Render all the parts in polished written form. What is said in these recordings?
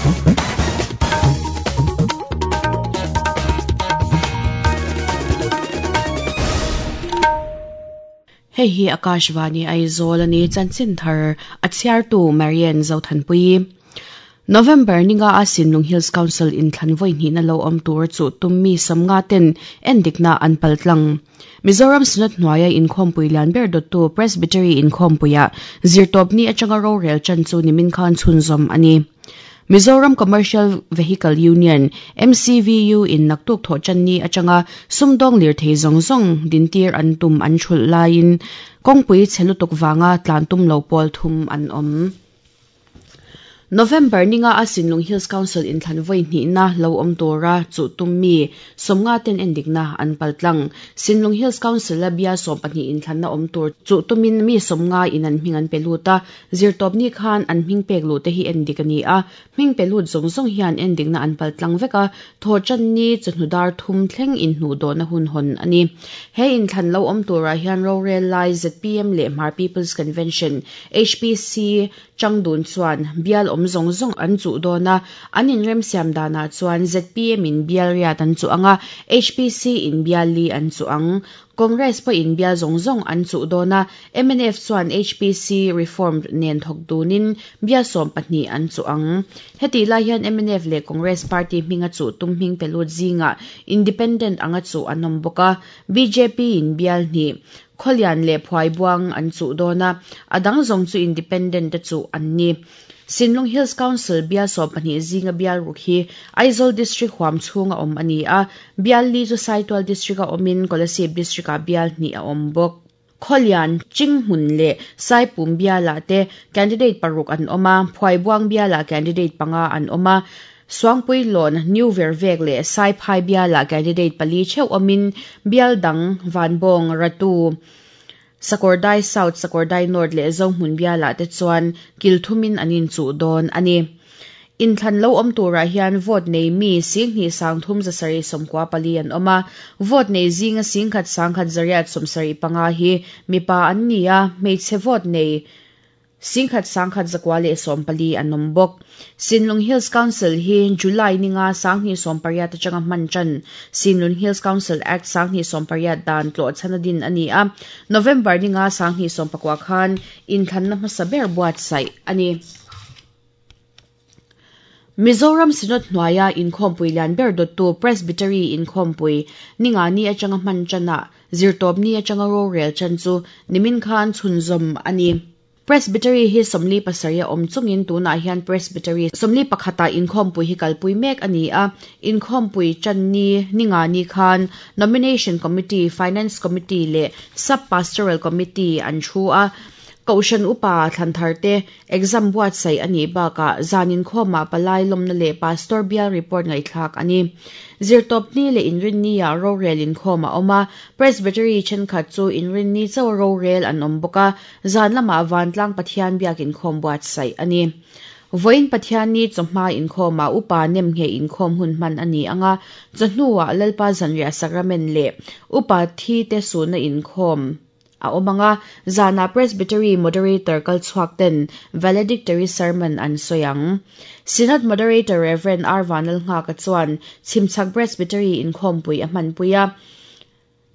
Hei hi Akashvani Aizawl a ni, chanchin thar a chhiartu Marian Zothanpuii. November ninga a Sinlung Hills Council inthlan vawi hnihna lo awm tur chu tum mi sawmnga ten endikna an pal tlang. Mizoram Synod hnuaia inkhawmpui lian ber dawttu Presbytery inkhawmpuiah zirtawpni atanga rorel chan chu nimin khan chhunzawm a ni. Mizoram Commercial Vehicle Union, MCVU, in naktuk thawh channi atanga sumdawng lirthei zawng zawng dintir an tum an thulh laiin kawngpui chhe lutuk vanga tlan tum lo pawl thum an awm. November ninga a Sinlung Hills Council inthlan vawi hnihna lo awm tura chuh tum mi sawmnga ten endikna an paltlang. Sinlung Hills Council a bial 12 inthlanna awm tur chuh tumin mi sawmnga in an hming an pe lut a, zirtawpni khan an hming pek luh te hi endik a ni a, hming pe lut zawng zawng hian endikna an paltlang vek a, thawhtanni chawhnu dar thum thleng inhnuhdawhna hun hawn a ni. He inthlan lo awm turah hian rorel lai zpm leh Hmar People's Convention, HPC, Changdun chuan bial awm zawng zawng an chuh dawn a, an inremsiam danah chuan zpm in bial riat an chuh ang a, HPC in bial li an chuh ang. Congress pawhin bial zawng zawng an chuh dawn a, mnf chuan HPC Reformed nen thawk dunin bial 12 an chuh ang. Hetih lai hian mnf leh Congress party hminga chuh tum hming pe lut zingah Independent anga chuh an awm bawk a, bjp in bial hnih, Khawlian leh Phuaibuang an chuh dawn a, a dang zawng chu Independent te chuh an ni. Sinlung Hills Council bial 12 zinga bial ruk hi Aizawl District huam chhunga awm a ni a, bial li chu Saitual District a awmin Kolasib District ah bial hnih a awm bawk. Khawlian, Chinghmun leh Saipum bialah te candidate paruk an awm a, Phuaibuang bialah candidate panga an awm a, Suangpuilawn, New Vervek leh Saiphai bialah candidate pali theuh awmin bial dang Vanbawng, Ratu, Sakawrdai South, Sakawrdai North leh Zohmun bialah te chuan kil thumin an inchuh dawn a ni. Inthlan lo awm turah hian vote nei mi 23,794 an awm a, vote nei zinga 1,175 hi mipa an ni a, hmeichhe vote nei 1,114 an awm bawk. Sinlung Hills Council hi July ninga 2018 atanga hman tan Sinlung Hills Council Act 2018 dan tlawh chhana din a ni a, November ninga 2019 khan inthlanna hmasa ber buatsaih a ni. Mizoram Synod hnuaia inkhawmpui lian ber dawttu Presbytery inkhawmpui ninga ni atanga hman tanah zirtawpni atanga rorel chan chu nimin khan chhunzawm a ni. Presbytery hi 47 a awm chungin tunah hian Presbytery 41 ah inkhawmpui hi kalpui mek a ni a, inkhawmpui tan ni ninga ni khan Nomination Committee, Finance Committee leh Sub-Pastoral Committee an thu a, Kohhran upa thlanthar te exam buatsaih a nih bakah zan inkhawmah palai lawmna leh Pastor bial report ngaihthlak a ni. Zirtawpni leh Inrinni ah rorel inkhawm a awm a, Presbytery thenkhat chu Inrinni chauh rorel an awm bawk a, zan lamah Vantlang Pathian biak inkhawm buatsaih a ni. Vawiin Pathianni chawhma inkhawmah upa nemngheh inkhawm hun hman a ni ang a, chawhnuah Lalpa zanriah sakramen leh upa thi te suhna inkhawm a awm ang a, zanah Presbytery Moderator kal chhuak ten Valedictory Sermon an sawi ang. Synod Moderator Rev. R. Vanlalnghaka chuan Chhimchhak Presbytery inkhawmpui a hmanpui a.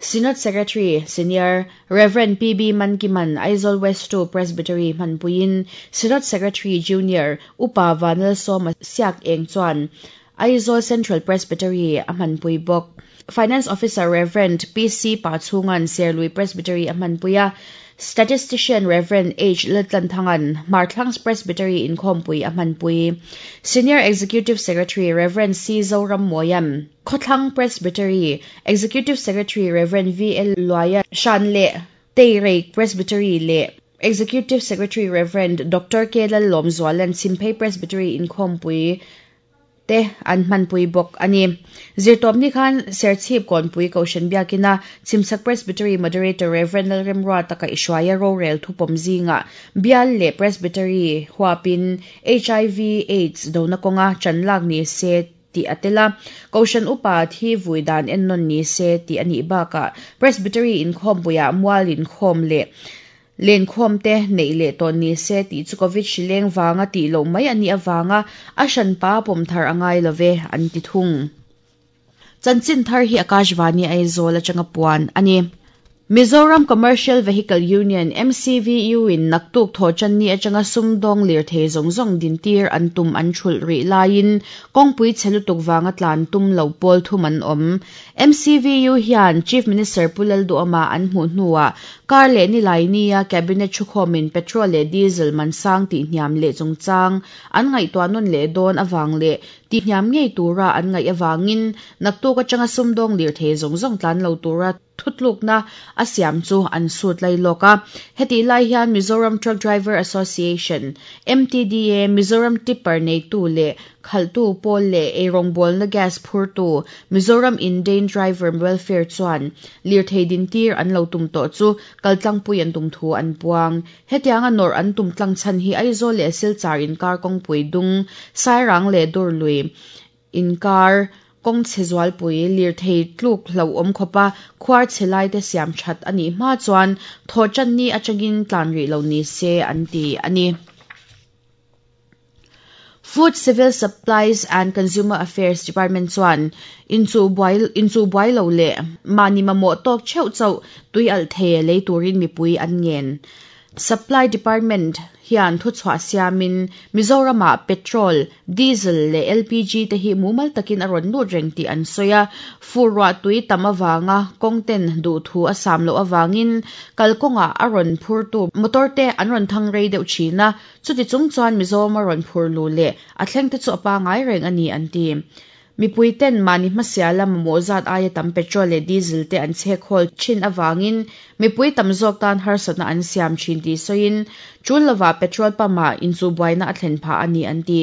Synod Secretary, Senior, Rev. PB Mankiman Aizawl West 2 Presbytery hmanpuiin Synod Secretary, Junior, Upa Vanlalsawma Siak Eng chuan Aizawl Central Presbytery a hmanpui bawk. Finance Officer Rev. PC Pachhungan Serlui Presbytery a hmanpui a, Statistician Rev. H. Laltlanthangan Hmarthlangs Presbytery inkhawmpui a hmanpui. Senior Executive Secretary Rev. C. Zoram Moyan Khawthlang Presbytery, Executive Secretary Rev. V. L. Luaia Shan leh Teirei Presbytery leh Executive Secretary Rev. Dr. K. Lallawmzualan Chhimphei Presbytery inkhawmpui te an hmanpui bawk a ni. Zirtawpni khan Serchhip Kawnpui Kohhran biakina Chhimchhak Presbytery Moderator Rev. Lalremruata kaihhruaia rorel thupawm zingah bial leh Presbytery huapin HIV AIDS dona kawnga chanlak ni se tih a tel a, Kohhran upa thi vui dan ennawn ni se tih a nih bakah Presbytery inkhawmpuiah mual inkhawm leh. Lenkhawm te neih leh tawh ni se tih chu Covid hri leng vanga tih loh mai a nih avanga a hranpa pawm thar a ngai lo ve, an ti thung. Chanchin thar hi Akashvani Aizawl atanga puan a ni. Mizoram Commercial Vehicle Union, MCVU, in naktuk thawhtanni atanga sumdawng lirthei zawng zawng dintir an tum an thulh rih laiin kawngpui chhe lutuk vanga tlan tum lo pawl thum an awm. MCVU hian Chief Minister Pu Lalduhawma an hmuh hnuah kar leh nilai nia Cabinet thukhawmin petrol leh diesel man sang tihhniam leh chungchang an ngaihtuah nawn leh dawn avang leh tihhniam ngei tura an ngaih avangin naktuk atanga sumdawng lirthei zawng zawng tlan lo tura thutlukna a siam chu an sut lai lawk a. Hetih lai hian Mizoram Truck Driver Association, MTDA, Mizoram Tipper neitu leh Khalhtu pawl leh eirawngbawlna gas phurtu Mizoram Indane Driver Welfare chuan lirthei dintir an lo tum tawh chu kaltlangpui an tum thu an puang. Hetianga nawrh an tum tlang chhan hi Aizawl leh Silchar inkar kawngpui dung, Sairang leh Durlui inkar kawng chhe zualpui lirthei tluk hlauhawm khawpa khuar chhe laite siam that a nih hma chuan thawhtanni atangin tlan rih lo ni se an ti a ni. Food, Civil Supplies and Consumer Affairs Department chuan inchuh buai lo leh mahni mamawh tawk theuh chauh tui alh thei lei turin mipui an ngen. Supply Department hian thuchhuah siamin Mizoramah petrol, diesel leh LPG te hi mumal takin a rawn lut reng tih an sawi a, fur ruah tui tam avanga kawng ten duhthu a sam loh avangin kalkawngah a rawn phurtu motor te an rawn thang rei deuh thin a, Chuti chung chuan Mizoram a rawn phur lu leh a thleng te chu a pangai reng a ni an ti. Mipui ten mahni hmasiala mamawh zat aia tam petrol leh diesel te an chhek hawl thin avangin mipui tam zawk tan harsatna an siam thin tih sawiin tul lovah petrol pump ah inchuhbuaina a thlen phah a ni an ti.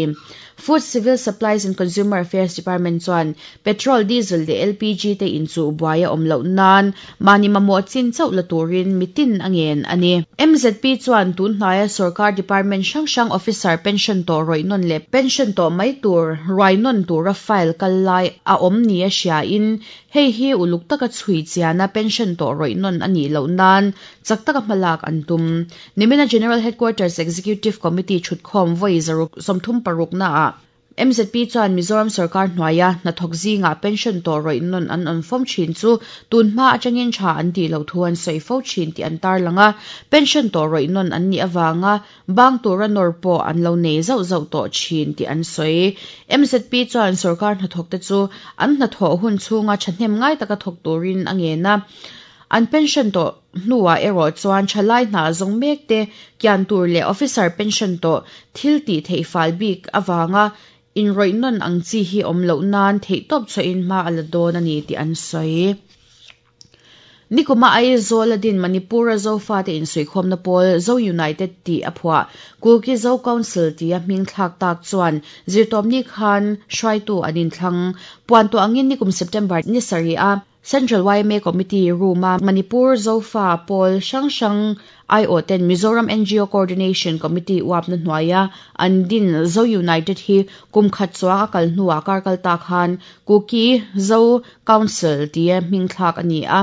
Food, Civil Supplies and Consumer Affairs Department chuan petrol, diesel leh LPG te inchuhbuai a awm loh nan mahni mamawh chin chauh la turin mitin a ngen a ni. MZP chuan tun hnaia sorkar department hrang hrang officer pension tawh rawih nawn leh pension tawh mai tur ruai nawn tura file kal lai a awm nia hriain hei hi uluk taka chhui chiana pension tawh rawih nawn a nih loh nan chak taka hmalak an tum. Nimina General Headquarters Executive Committee thutkhawm vawi 136 naah MZP chuan Mizoram sorkar hnuaia hnathawk zingah pension tawh rawih nawn an awm fawm thin chu tun hma atangin tha an tih loh thu an sawi fo thin tih an tarlang a, pension tawh rawih nawn an nih avanga bang tura nawr pawh an lo nei zauh zauh tawh thin tih an sawi. MZP chuan sorkar hnathawkte chu an hnathawh hun chhunga thahnem ngai taka thawk turin a ngen a, an pension tawh hnuah erawh chuan thalai hna zawng mek te kian tur leh officer pension tawh thil tih theih fal bik avanga inrawih nawn ang chi hi awm loh nan theihtawp chhuahin hma a la dawn a ni tih an sawi. Nikuma Aizawl a din Manipur-a Zofate insuihkhawmna pawl Zo United tih a phuah Kuki Zo Council tia hming thlak tak chuan zirtawpni khan hruaitu an inthlang puan tawh angin nikum September ni sarih a Central yma Committee room-a Manipur Zofa pawl hrang hrang aiawh ten Mizoram ngo Coordination Committee uapna hnuaia an din Zo United hi kum khat chuang a kal hnuah kar kal ta khan Kuki Zo Council tia hming thlak a ni a.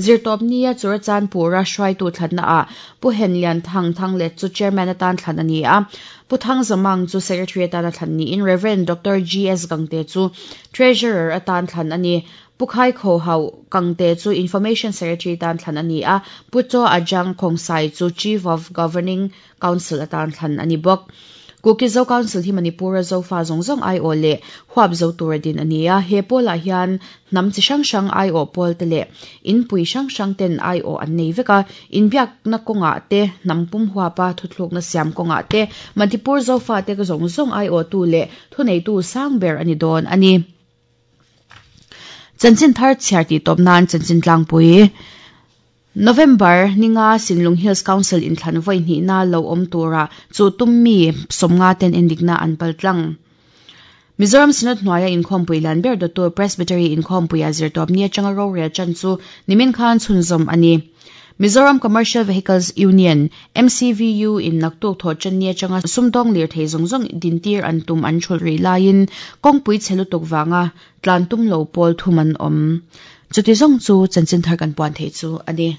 Zirtawpnia Churachandpur-a hruaitu thlannaah Pu Henlian Thang Thanglet chu Chairman atan thlan a ni a, Pu Thang Zamang chu Secretary atana thlan niin Rev. Doctor GS Gangte chu Treasurer atan thlan a ni. Pu Khai Kho Hau Kangte chu Information Secretary tan thlan a ni a, Pu Chaw Ajang Khongsai chu Chief of Governing Council atan thlan a ni bawk. Kuki Zo Council hi Manipur-a Zofa zawng zawng aiawh leh huap zo tura din a ni a, he pawlah hian hnam chi hrang hrang aiawh pawl te leh inpui hrang hrang ten aiawh an nei vek a, inbiakna kawngah te, hnam pum huapa thuthlukna siam kawngah te, Manipur Zofa te zawng zawng aiawhtu leh thuneitu sang ber a ni dawn a ni. Chanchin thar chhiar tih tawp nan chanchin tlangpui November ninga Sinlung Hills Council inthlan vawi hnihna lo awm tura chu tum mi 50 ten endikna an pal tlang. Mizoram Synod hnuaia inkhawmpui lian ber dawttu Presbytery inkhawmpuia zirtawpni atanga rorel chan chu nimin khan chhunzawm a ni. Mizoram Commercial Vehicles Union, MCVU, in naktuk thawh channi atanga sumdawng lirthei zawng zawng dintir an tum an thulh rih laiin kawngpui chhe lutuk vanga tlan tum lo pawl thum an awm. Chuti zawng chu chanchin thar kan puan theih chu a ni.